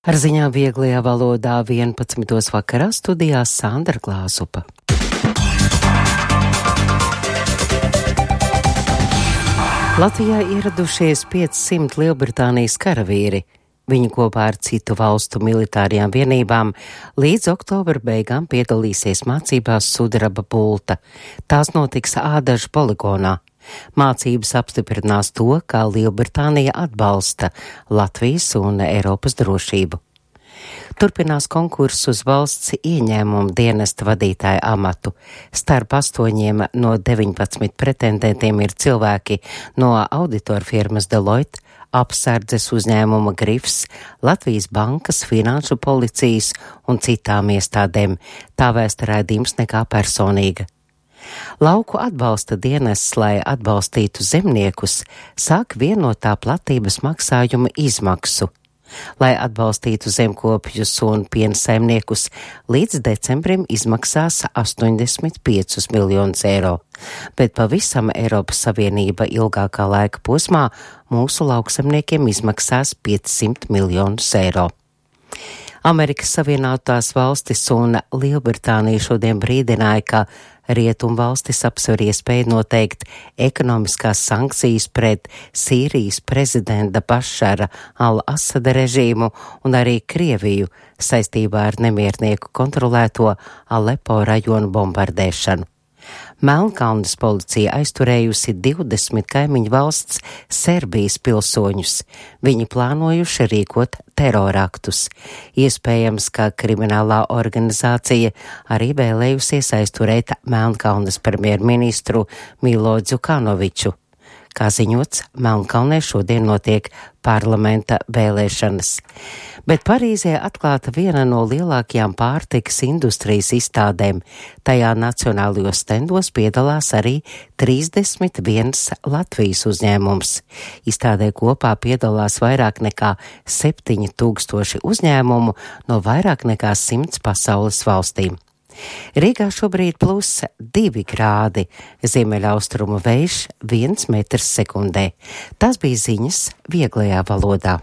Ar ziņām vieglajā valodā 11. vakarā studijā Sandra Glāzupa. Latvijā ieradušies 500 Lielbritānijas karavīri. Viņi kopā ar citu valstu militārajām vienībām līdz oktobra beigām piedalīsies mācībās sudraba bulta. Tās notiks Ādažu poligonā. Mācības apstiprinās to, kā Lielbritānija atbalsta Latvijas un Eiropas drošību. Turpinās konkurss uz valsts ieņēmumu dienesta vadītāja amatu. Starp 8 no 19 pretendentiem ir cilvēki no auditoru firmas Deloitte, apsardzes uzņēmuma Grifs, Latvijas bankas, finanšu policijas un citām iestādēm. Tā vēsta raidījums Nekā personīga. Lauku atbalsta dienests, lai atbalstītu zemniekus, sāk vienotā platības maksājuma izmaksu. Lai atbalstītu zemkopjus un piensaimniekus, līdz decembrim izmaksās 85 miljonus eiro. Bet pavisam Eiropas Savienība ilgākā laika posmā mūsu lauksemniekiem izmaksās 500 miljonus eiro. Amerikas Savienotās valstis un Lielbritānija šodien brīdināja, ka Rietumvalstis apsver iespēju noteikt ekonomiskās sankcijas pret Sīrijas prezidenta Bašara al-Asada režīmu un arī Krieviju saistībā ar nemiernieku kontrolēto Alepo rajonu bombardēšanu. Melnkalnes policija aizturējusi 20 kaimiņu valsts Serbijas pilsoņus. Viņi plānojuši rīkot teroraktus. Iespējams, ka kriminālā organizācija arī vēlējusies aizturēt Melnkalnes premjerministru Milo Djukanoviču. Kā ziņots, Melnkalnē šodien notiek parlamenta vēlēšanas. Bet Parīzē atklāta viena no lielākajām pārtikas industrijas izstādēm. Tajā nacionālajos stendos piedalās arī 31 Latvijas uzņēmums. Izstādē kopā piedalās vairāk nekā 7000 uzņēmumu no vairāk nekā 100 pasaules valstīm. Rīgā šobrīd +2 grādi, ziemeļaustrumu vējš 1 metrs sekundē. Tas bija ziņas vieglajā valodā.